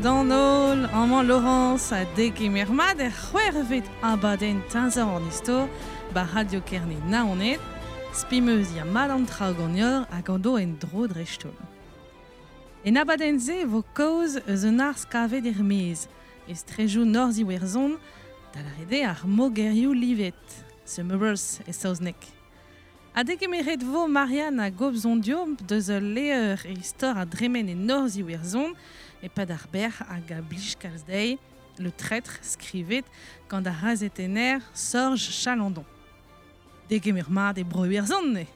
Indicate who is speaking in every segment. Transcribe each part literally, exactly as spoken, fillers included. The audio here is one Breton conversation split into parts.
Speaker 1: D'an amañ Laurence a degemer mat er c'hwervet abadenn teñzor an istor ba Radio Kerne Naoned, spimeuz ya mat an traoù ganeoc'h hag an do en dro dreistholl. En abadenn-se vo kaoz eus un arz kavet er-maez, estrejoù Norzh Iwerzhon, da lâret eo ar mogerioù livet, The Murals e saozneg. Ha degemeret vo Marianne a gobzon deus ul levr e istor a dremen e Norzh Iwerzhon, e pad ar ber hag a blij kalz dezhi, Le Traître skrivet gant ar razetenner Sorj Chalandon. Degemer mat e bro Iwerzhon ne.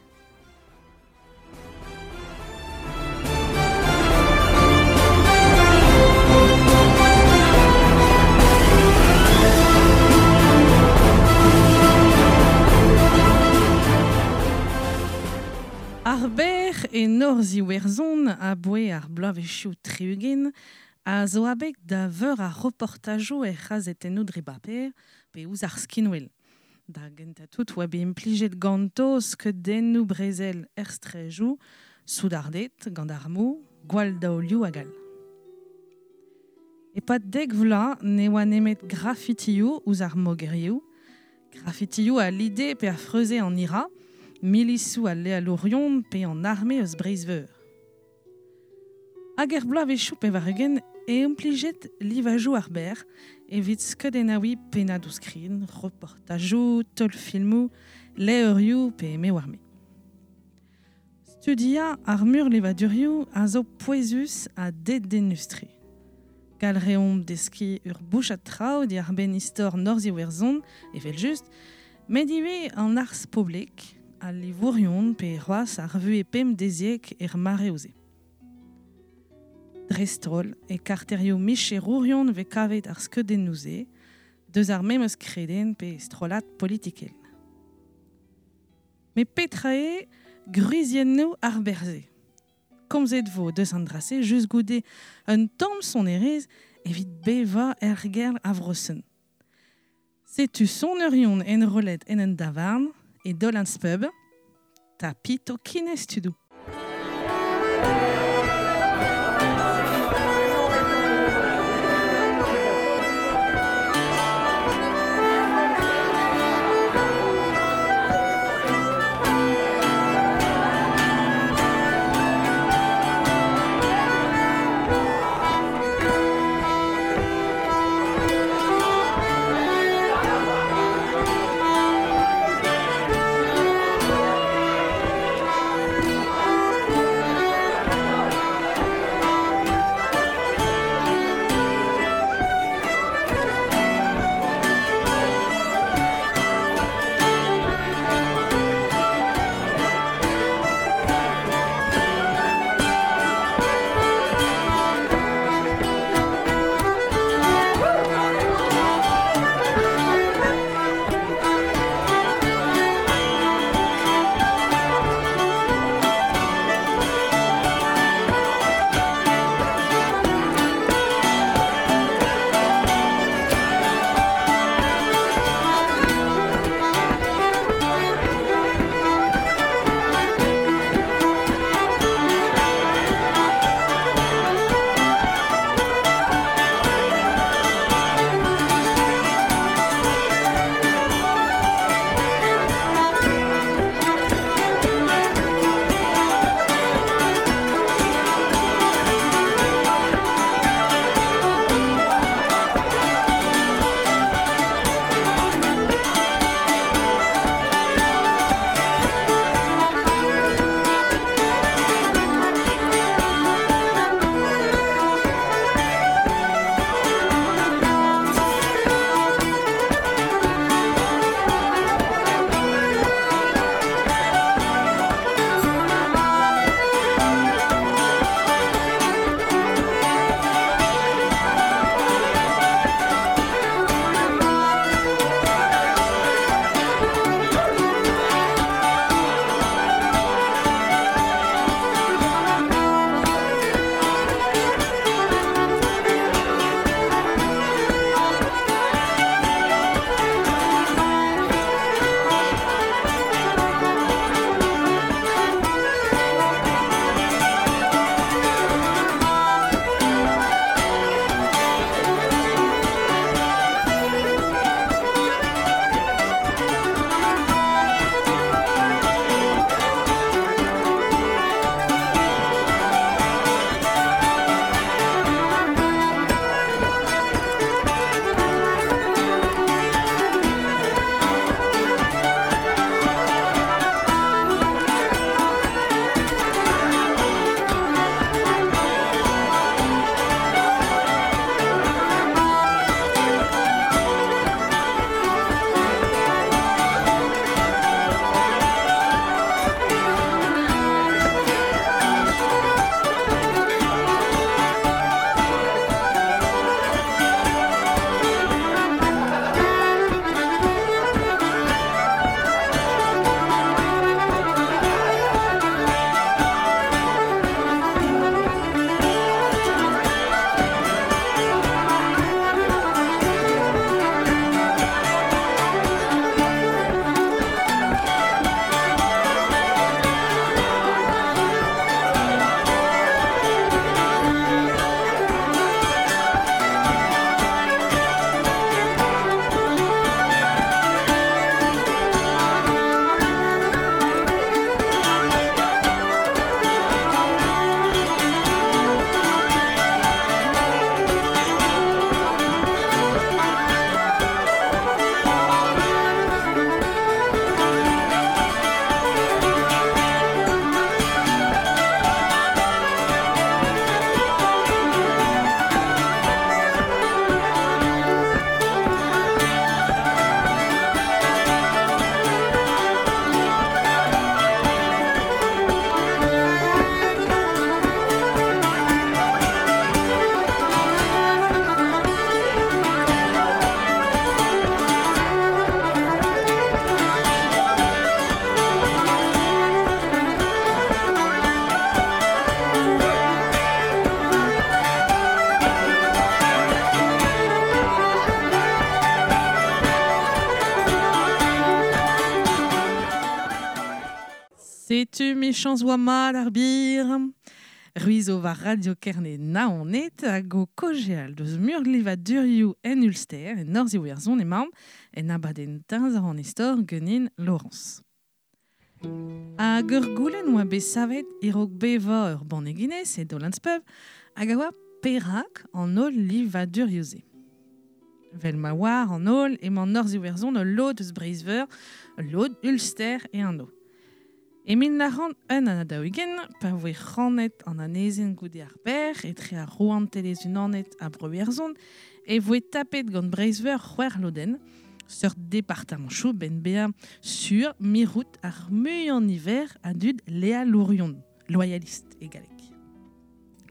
Speaker 1: Ar ber e Norzh Iwerzhon a boe ar bloavezhioù tri-ugent a zo abeg da veur ar reportajoù er c'hazetennoù dre baper pe ouzh ar skinwel. Da gentañ tout oa bet implijet ganto skeudennoù brezel er strejoù, soudarded, gant armoù, gwall daolioù hag all. E-pad dek vloaz ne oa nemet grafitioù ouzh ar mogerioù, grafitioù a lide pe a freuze an ira, milisoù al lealourion pe an arme eus Breizh-Veur. Hag er bloavezhioù pevar-ugent e implijet livajoù ar ber evit skeudennaouiñ pennadoù skrin, reportajoù, teulfilmoù, levrioù pe me war me. Studiañ ar mur levadurioù a zo pouezus ha dedennus-tre. Gall reomp deskiñ ur bouchad traoù diwar benn istor Norzh Iwerzhon, evel-just, met ivez an arz poblek, al livourion pe c'hoazh ar vuhez pemdeziek er mareoù-se. Dreist-holl e karterioù micherourion vez kavet ar skeudennoù-se, deus ar memes kredenn pe strollad politikel. Met petra eo gwriziennoù ar berze. Komzet vo deus an dra-se just goude un tamm sonerezh evit bevañ er ger a Vrosen. Setu soneurion enrollet en un davarn e Dolan's Pub, tapit o kinez tudoù.
Speaker 2: Thank
Speaker 1: Setu michans oa mat ar bir. Ruizo war Radio Kerne Naoned hag o kojeal deus murlivadurioù en Ulster, en Norzh-Iwerzhon emaomp, en abadenn teñzor an istor genin Laurence. Hag ur goulenn oa bet savet e-raok bevañ ur banne Guinness e Dolan's Pub hag a oa perak an holl livadurioù-se. Vel ma oar an holl emañ Norzh-Iwerzhon ul lod eus Breizh-Veur, ul lod Ulster e an o. E mil nav c'hant un ha daou-ugent, pa voe rannet an anezenn goude ar ber etre ar rouantelezh-unanet ha Bro-Iwerzhon, e voe tapet gant Breizh-Veur c'hwec'h lodenn, seurt departamantoù ben bezañ sur mirout ar muiañ niver a dud lealourion, loyalist e galleg.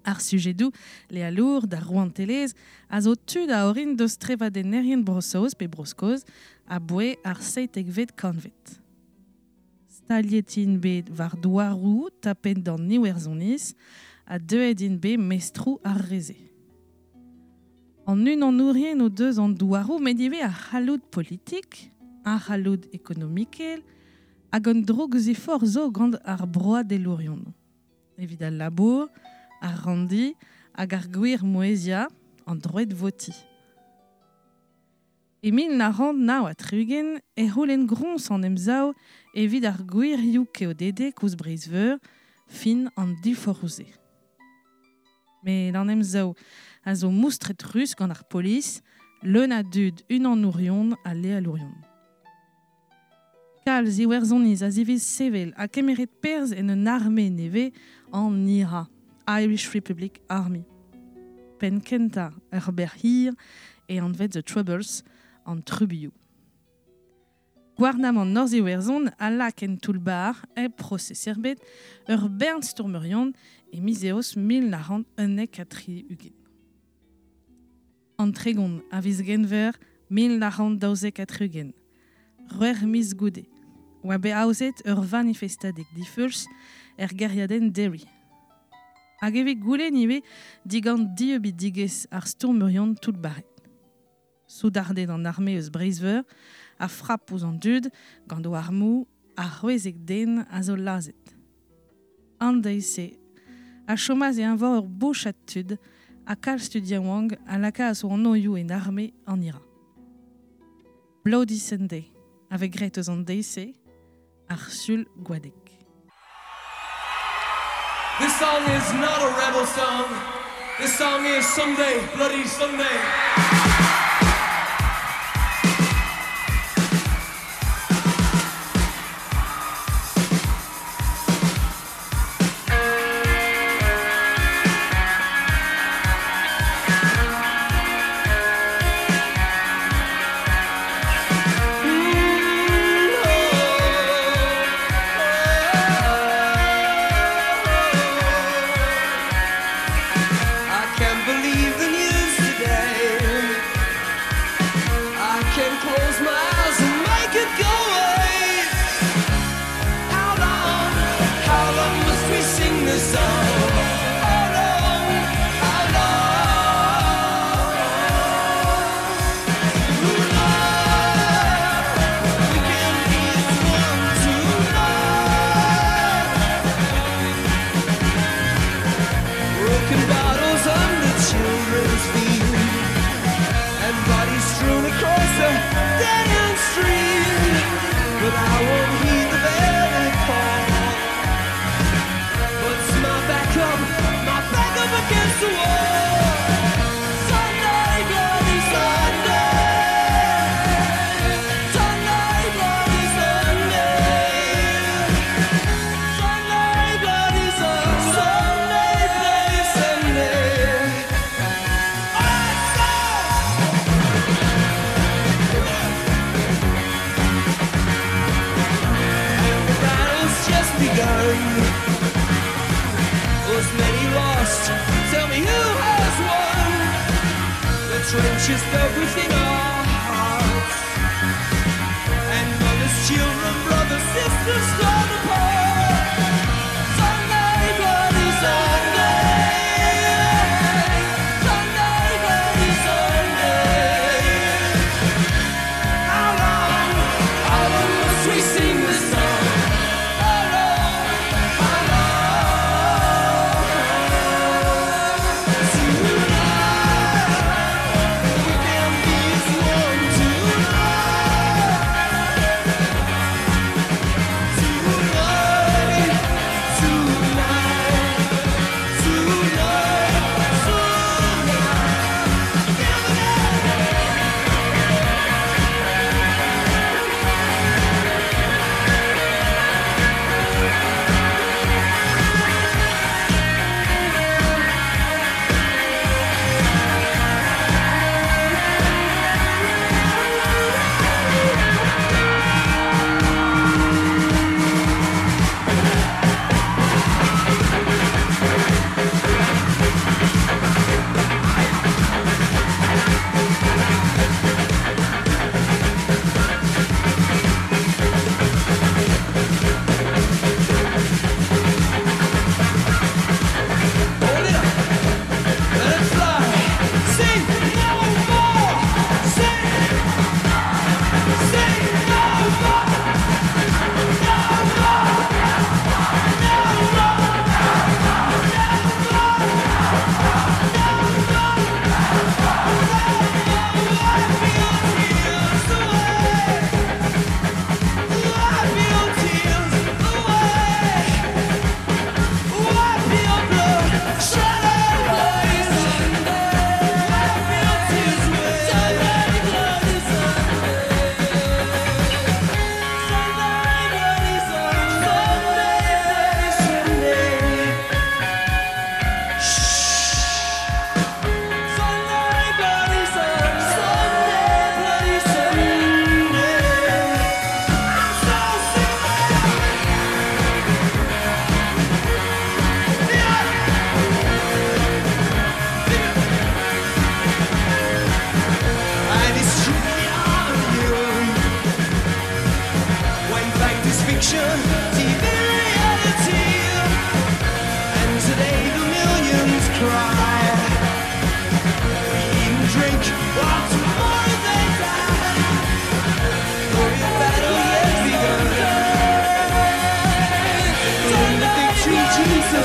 Speaker 1: Ar sujedoù lealour d'ar rouantelezh a zo tud a orin deus trevadennerien Bro-Saoz pe Bro-Skos a boe ar seitekvet kantved. Staliet int bet war douaroù tapet d'an Iwerzhoniz ha deuet int bet mestroù ar reze. An unanourien o deus an douaroù met ivez ar c'halloud politik, ar c'halloud ekonomikel hag an droug-ziforc'h zo gant ar broadelourion. Evit al labour, ar randi hag ar gwir mouezhiañ an droed votiñ. E mil nav c'hant nav ha tri-ugent e c'houlenn groñs an emsav evit ar gwirioù keodedek ouzh Breizh-Veur fin an diforc'hoù-se. Met an emsav a zo moustret ruz gant ar polis, leun a dud unanourion ha lealourion. Kalz Iwerzhoniz a ziviz sevel ha kemeret perzh en un arme nevez an I R A, Irish Republic Army. Penn kentañ ur ber hir e anvet The Troubles, an trubuilhoù. Gouarnamant Norzh-Iwerzhon a lak en toull-bac'h hep prosez ebet ur bern stourmerion e miz Eost mil nav c'hant unnek ha tri-ugent. An tregont a viz Genver mil nav c'hant daouzek ha tri-ugent, c'hwec'h miz goude, oa bet aozet ur vanifestadeg difeuls er gêriadenn Derry. Hag evit goulenn ivez digant dieubidigezh ar stourmerion toull-bac'het. Soudarded an arme eus Breizh-Veur a frap ouzh an dud gant o armoù ar c'hwezek den a zo lazhet. An deiz-se a chomaz e eñvor ur bouchad tud ha kalz tud yaouank a lakaas o anvioù en arme an I R A. Bloody Sunday a vez graet eus an deiz-se ar Sul Gwadeg.
Speaker 2: This song is not a rebel song. This song is Sunday, Bloody Sunday. Trenches dug within our hearts, and mothers, children, brothers, sisters torn apart. Sunday, bloody Sunday. Sunday, bloody Sunday. How long, how long must we sing this song? How long,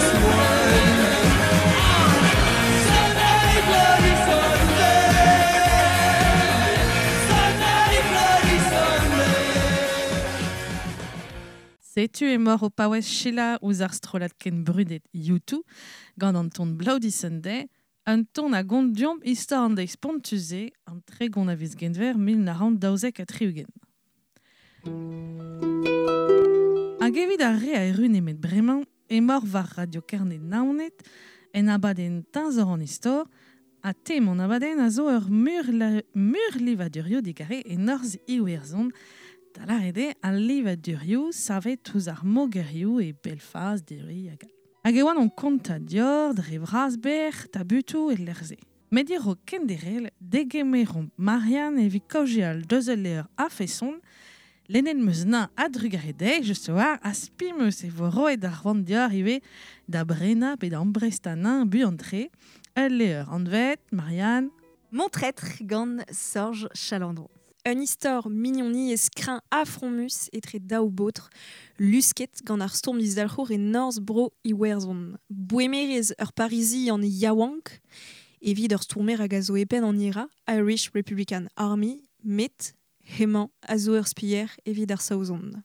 Speaker 2: last one. Sunday, bloody Sunday. Sunday, bloody Sunday.
Speaker 1: Setu e mor o paouez Sheila ouz ar strollad ken brudet U two gant an ton Bloody Sunday, un ton a gont diomp istor an deiz pontuze an tregont a viz genver mil nav c'hant daouzek ha tri-ugent. Hag evit ar re a erru nemet bremañ, e mor war Radio Kerne Naoned, en abadenn teñzor an istor, ha tem an abadenn a zo ur mur la, mur livadurioù digare e norzh Iwerzhon, da lâret eo al livadurioù savet ouzh ar mogerioù e Belfast, Derry hag all. Hag e oan on konta dior dre vras ber tabutoù e lec'h-se. Met eo kenderel degemeromp Marianne evit kaozeal deus ul levr a-feson, lennet 'm eus nañ a-drugarez dezhi, just war, a spi 'm eus e vo roet ar c'hoant dior ivez da brenañ pe da amprestañ nañ buan-tre. Ul levr anvet, Marianne.
Speaker 3: Mon traître gant Sorj Chalandon. Un istor mignoniezh kreñv afromus etre daou baotr, lusket gant ar stourm dizalc'hour e norzh bro Iwerzhon. Boemerez ur Parizian yaouank, evit ur stourmer hag a zo e penn an I R A, Irish Republican Army, met hemañ a zo ur spier evit ar Saozon.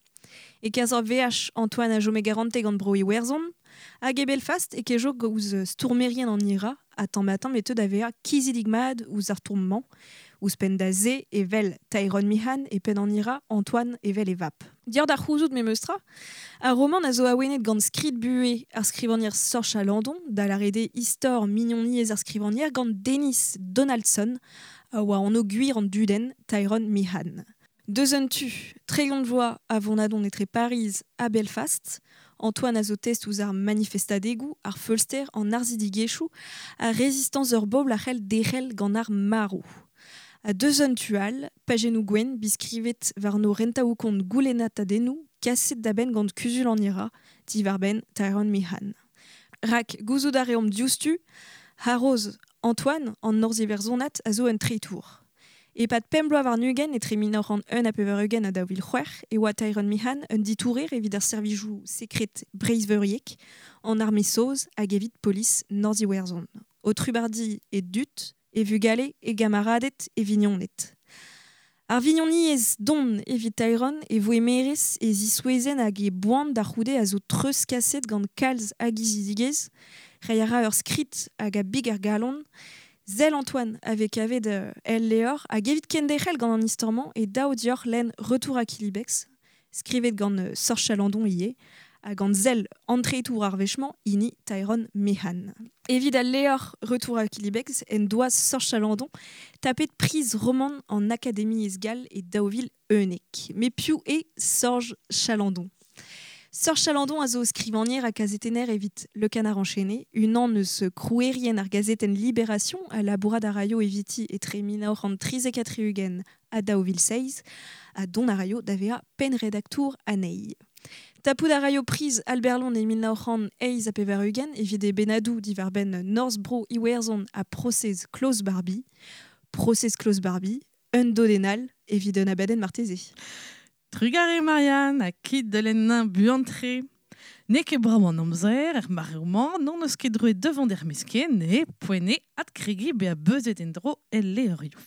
Speaker 3: E kerzh ar V H Antoine a chome garante gant bro Iwerzhon, hag e Belfast e kejo ouzh stourmerien an I R A, ha tamm-ha-tamm e teu da vezañ kizidig mat ouzh ar stourm-mañ, ouzhpenn da se evel Tyrone Meehan e penn an I R A, Antoine evel e vap. Dior d'ar c'houzout memes tra, ar roman a zo awenet gant skrid buhez ar skrivagner Sorj Chalandon, da lâret eo istor mignoniezh ar skrivagner gant Denis Donaldson, a oa anv gwir an dudenn Tyrone Meehan. Deus un tu, tregont vloaz a vonadon etre Pariz ha Belfast, Antoine a zo test ouzh ar manifestadegoù, ar feulster, an arzidigezhioù, ar rezistañs ur bobl a c'hell derc'hel gant ar marv. A deus un tu all, pajennoù gwenn biskrivet warno rentaoù kont goulennatadennoù kaset da benn gant kuzul an I R A, diwar-benn Tyrone Meehan. Rak gouzout a reomp diouzhtu, haroz Antoine an norzh-iwerzhonat a zo un treitour. E-pad pemp bloaz warn-ugent etre mil nav c'hant un ha pevar-ugent ha daou vil c'hwec'h e oa Tyrone Meehan un ditourer evit ar servijoù sekret Breizh-Veuriek an arme saoz hag evit polis Norzh-Iwerzhon. O trubardi e dud, e vugale, e gamaraded, e vignoned. Ar vignoniezh don evit Tyrone e voe merez e zisouezenn hag e boan da c'houde a zo treuzkaset gant kalz hag izidigezh, reiñ a ra ur skrid hag a big ar galon. Zel Antoine avait kavet el levr hag evit kenderc'hel gant an istor-mañ e daou dioc'h lenn Retour à Killybegs, skrivet gant Sorj Chalandon ivez, hag gant zel antreitour ar wech-mañ hini Tyrone Meehan. Evit al levr Retour à Killybegs en doa Sorj Chalandon tapet priz roman an Akademiezh gall e daou vil unnek. Met piv eo Sorj Chalandon? Sorj Chalandon a zo skrivagner ha kazetenner evit Le Canard enchaîné, unan eus krouerien ar gazetenn Libération a labourat a raio eviti etre mil nav c'hant trizek ha tri-ugent ha daou vil seizh, ha dont a raio da vezañ pennredaktour anezhi. Tapout a raio priz Albert Londres e mil nav c'hant eizh ha pevar-ugent evit e bennadoù diwar-benn Norzh Bro Iwerzhon ha prosez Klaus Barbie. Prosez Klaus Barbie, un dodenn evit un abadenn marteze.
Speaker 1: Trugarez Marianne, ha kit da lenn buan-tre. N'eo ket brav an amzer, er mareoù-mañ, n'hon eus ket droet devant er mesken, e poent eo adkregiñ bezañ beuzet en-dro el levrioù.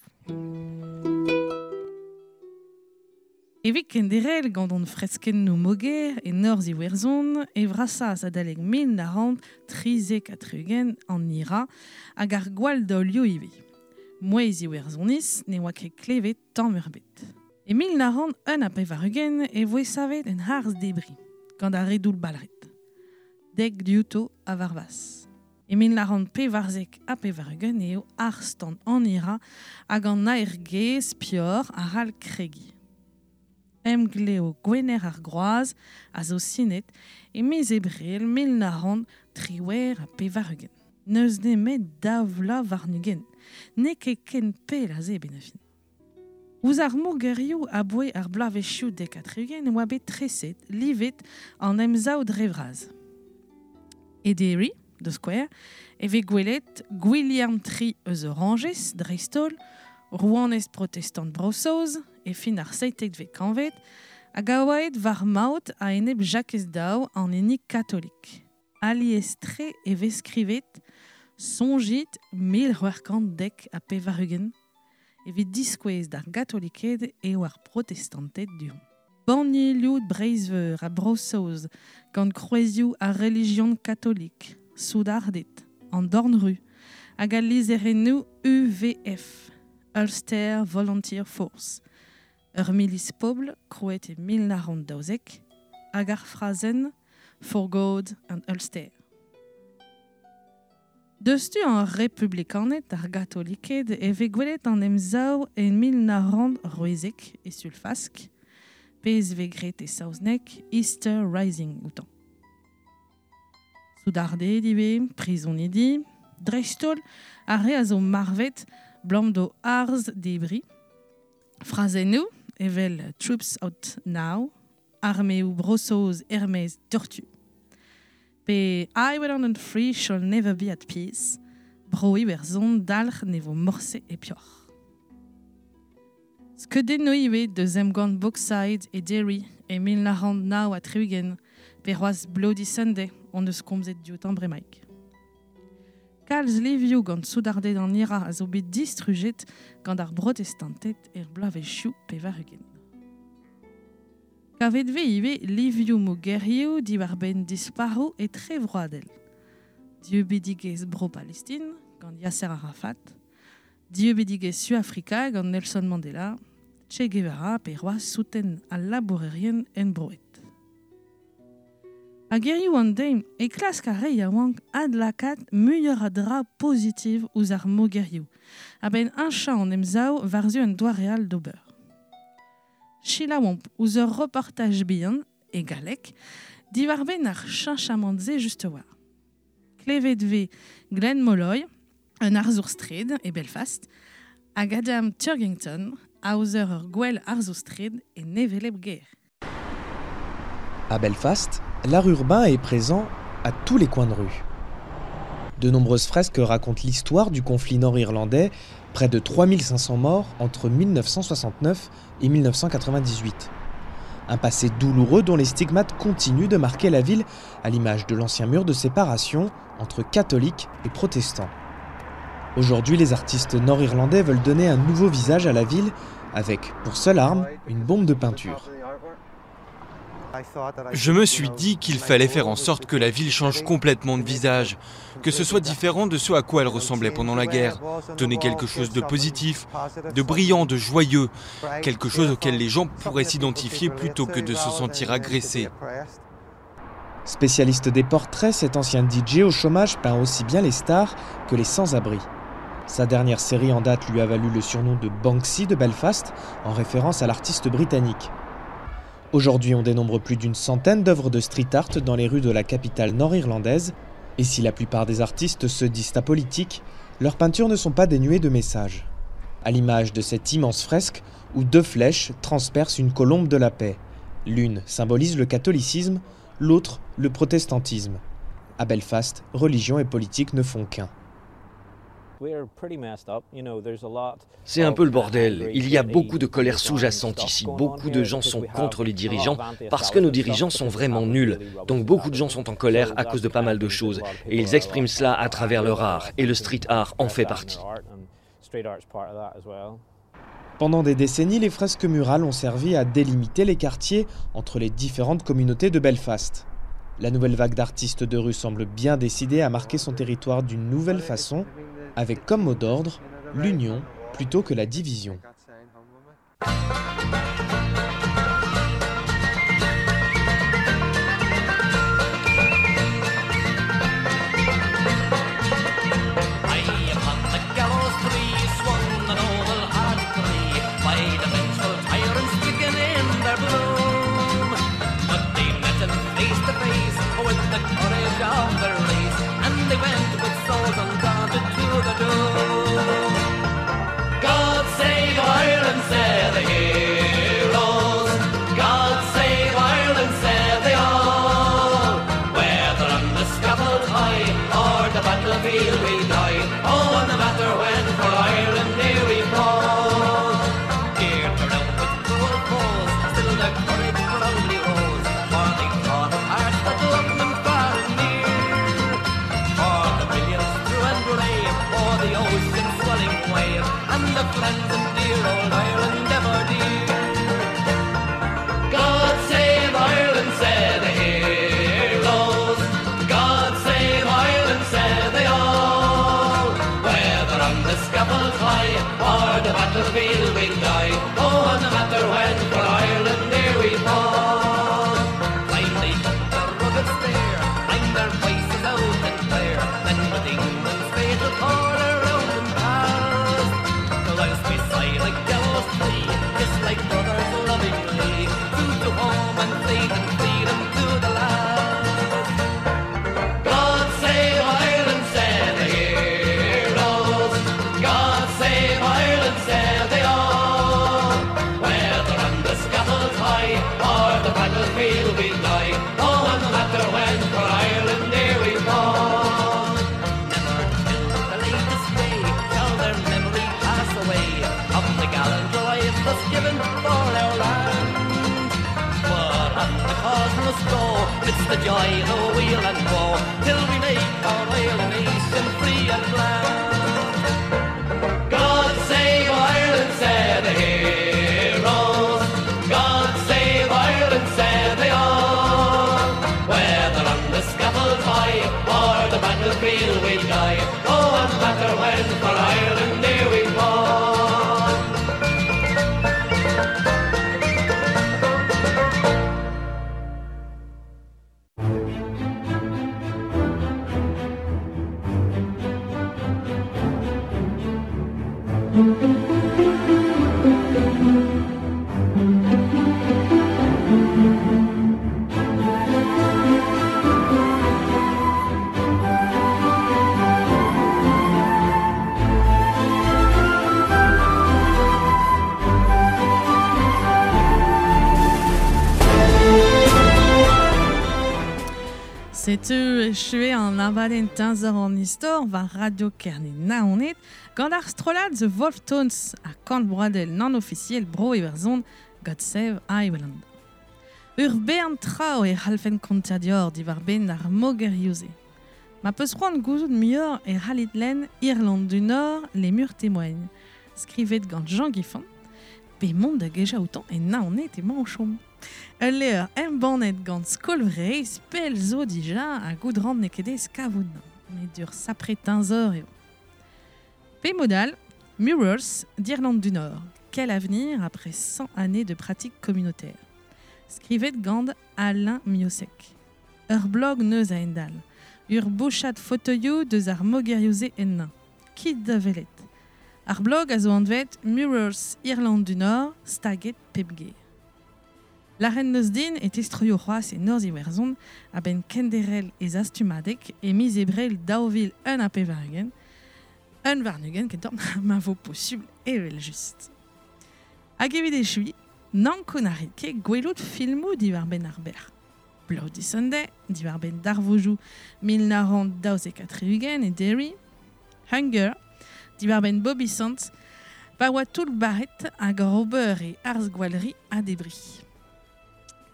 Speaker 1: Evit kenderc'hel gant hon freskennoù moger e norzh Iwerzhon, e vrasas adalek mil nav c'hant trizek ha tri-ugent an I R A hag ar gwall daolioù ivez. Mouezh Iwerzhoniz ne oa ket klevet tamm ebet. E mil nav c'hant un ha pevar-ugent e voe savet en harz debriñ, gant ar redoul balret. Dek diouto a varvas. E mil nav c'hant pevarzek ha pevar-ugent eo arstan an I R A hag an aergezh pior a c'hall kregiñ. Emglev Gwener ar Groaz a zo sinet e miz Ebrel mil nav c'hant triwec'h ha pevar-ugent. N'eus nemet daou vloaz warn-ugent. N'eo ket ken pell aze ben a fin. Ouzh ar mogerioù aboe ar bloavezhioù dek ha tri-ugent e oa bet treset, livet an emsav dre vras. E Derry, de Square, e vez gwelet Gwilherm tri eus Oranges, dreist-holl, rouanez protestant Bro-Saoz, e fin ar seitekvet kantved, hag a oa aet war maout a-enep Jakez Daou an hini katolik. Alies-tre e vez skrivet soñjit mil c'hwec'h kant dek ha pevar-ugent evit diskouez d'ar gatoliked eo ar protestanted du-hont. Bannielioù Breizh-Veur ha Bro-Saoz gant kroezioù ar relijion katolik, soudarded, an dornru, hag al lizherennoù U V F, Ulster Volunteer Force, ur milis pobl krouet e mil nav c'hant daouzek, hag ar frazenn For God and Ulster. Deus tu an republikaned ar gatoliked e vez gwelet an emsav e mil nav c'hant c'hwezek e Sulfask, pezh vez graet e saozneg Easter Rising outañ. Soudarded ivez, prizonidi, dreist-holl ar re a zo marvet blam d'o arz debri. Frazennoù evel Troops Out Now, armeoù Bro-Saoz er-maez tortu. Pe Ireland and Free shall never be at peace, Bro Iwerzhon dalc'h ne vo morse e peoc'h. Skeudennoù ivez deus emgann Bogside e Derry e mil nav c'hant nav ha tri-ugent, pe c'hoazh Bloody Sunday hon eus komzet dioutañ bremaik. Kalz livioù gant soudarded an I R A a zo bet distrujet gant ar brotestanted er bloavezhioù pevar-ugent. Kavet vez ivez livioù mogerioù diwar-benn disparoù etrevroadel. Dieubidigezh Bro-Palestine gant Yasser Arafat, dieubidigezh Suafrika gant Nelson Mandela, Che Guevara pe c'hoazh souten al labourerien enbroet. Hag hiziv an deiz e klask ar re yaouank adlakaat muioc'h a dra pozitiv ouzh ar mogerioù, a-benn heñchañ an emsav war-zu un doare all d'ober. Selaouomp ouzh ur reportaj bihan, e galleg, diwar-benn ar cheñchamant-se just war. Klevet vez Glenn Molloy, un arzour straed e Belfast, hag Adam Turgington, aozer ur gwel arzour straed e hevelep gêr.
Speaker 4: À Belfast, l'art urbain est présent à tous les coins de rue. De nombreuses fresques racontent l'histoire du conflit nord-irlandais, près de trois mille cinq cents morts entre mille neuf cent soixante-neuf et mille neuf cent quatre-vingt-dix-huit. Un passé douloureux dont les stigmates continuent de marquer la ville, à l'image de l'ancien mur de séparation entre catholiques et protestants. Aujourd'hui, les artistes nord-irlandais veulent donner un nouveau visage à la ville, avec, pour seule arme, une bombe de peinture.
Speaker 2: Je me suis dit qu'il fallait faire en sorte que la ville change complètement de visage, que ce soit différent de ce à quoi elle ressemblait pendant la guerre, donner quelque chose de positif, de brillant, de joyeux, quelque chose auquel les gens pourraient s'identifier plutôt que de se sentir agressés.
Speaker 4: Spécialiste des portraits, cet ancien D J au chômage peint aussi bien les stars que les sans-abri. Sa dernière série en date lui a valu le surnom de Banksy de Belfast, en référence à l'artiste britannique. Aujourd'hui, on dénombre plus d'une centaine d'œuvres de street art dans les rues de la capitale nord-irlandaise. Et si la plupart des artistes se disent apolitiques, leurs peintures ne sont pas dénuées de messages. À l'image de cette immense fresque où deux flèches transpercent une colombe de la paix. L'une symbolise le catholicisme, l'autre le protestantisme. À Belfast, religion et politique ne font qu'un.
Speaker 5: C'est un peu le bordel. Il y a beaucoup de colère sous-jacente ici. Beaucoup de gens sont contre les dirigeants parce que nos dirigeants sont vraiment nuls. Donc beaucoup de gens sont en colère à cause de pas mal de choses. Et ils expriment cela à travers leur art. Et le street art en fait partie.
Speaker 4: Pendant des décennies, les fresques murales ont servi à délimiter les quartiers entre les différentes communautés de Belfast. La nouvelle vague d'artistes de rue semble bien décidée à marquer son territoire d'une nouvelle façon, avec comme mot d'ordre l'union plutôt que la division.
Speaker 2: Still the courage proudly rose, for they thought of hearts that loved them far and near.
Speaker 6: And the friends in dear old Ireland ever dear. God save Ireland, say the heroes. God save Ireland, say they all. Whether on the scaffold high or the battlefield we die, oh, and no matter when, for Ireland there we fall. Climb they up the rugged stair, ring their voices out and clear, then with England's fatal corner round and past. Whilst we sigh like gallows tree, kiss like brothers lovingly, true to home and faith and freedom to the last. God save Ireland, say the heroes. God save Ireland, say they all. Whether on the scaffold high or the battlefield we die, oh, and no matter when, for Ireland there we fall. Never till the latest day shall their memory pass away of the gallant life thus given for our land. But on the cause must go, it's the joy, the weal and woe, till we make our island nation free and grand. God save Ireland, say the heroes. God save Ireland, say they all. Whether on the scaffold high or the battlefield we die, oh, and matter when, for Ireland there we fall.
Speaker 1: Setu echue an abadenn teñzor an istor war Radio Kerne Naoned gant ar strollad The Wolf Tones ha kant broadel nan ofisiel bro Iwerzhon God Save Ireland. Ur bern trao e c'hallfen kontañ dior diwar benn ar mogerioù-se. Ma peus c'hoant gouzout muioc'h e c'hallit lenn Irlande du Nord, les murs témoignent. Skrivet gant Jean Guiffan, pe mont da gejañ outañ e Naoned emañ o chom. Ul levr embannet gant Skol Vreizh pell zo dija ha goudran n'eo ket aes kavout met ur sapre teñzor eo. Pe modal, Murals d'Irlande du Nord. Quel avenir après cent années de pratique communautaire. Skrivet gant Alain Miosek. Ur blog neus a endal. Ur bouchad fotoioù deus ar mogerioù-se ennañ. Kit da welet. Ar blog a zo anvet Murals Irlande du Nord, staget pep ger. La reine neus din e testroio c'hoazh e Norzh Iwerzhon a-benn kenderel ez astumadeg e miz ebrel daou vil un ha pevar-ugent, un warn-ugent kentoc'h ma vo posubl evel just. Hag evit echuiñ, n'ankoun a rit ket gwelout filmoù diwar-benn ar ber. Bloody Sunday, diwar-benn darvoudoù mil nav c'hant daouzek ha tri-ugent e Derry, Hunger, diwar-benn Bobby Sands, pa oa toull barret hag ar ober e arz gwalri ha debri.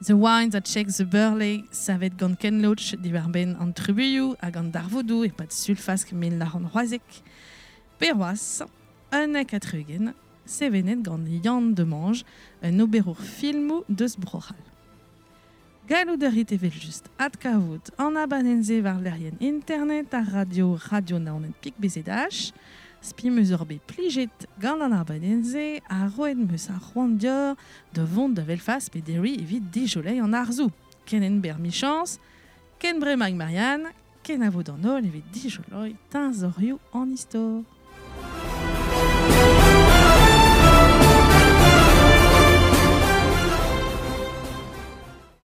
Speaker 1: The Wine That Shakes the Burley, savet gant Ken Loach diwar-benn an trubuilhoù hag an darvoudoù e-pad sulfask mil nav c'hant c'hwezek. Pe c'hoazh, unnek ha tri-ugent, sevenet gant Yann Demange, un oberour filmoù deus Bro-C'hall. Gallout a rit evel just adkavout an abadenn-se war lec'hienn internet ar radio radio Naoned pik B Z H, spi meus ur bet plijet gant an abadenn-se ha roet meus ar c'hoant dior da vont da Belfast pe Derry evit dijoleiñ an arzoù. Ken en ber michañs, ken bremañ Marianne, ken a vo d'an holl evit dijoleiñ teñzorioù an istor.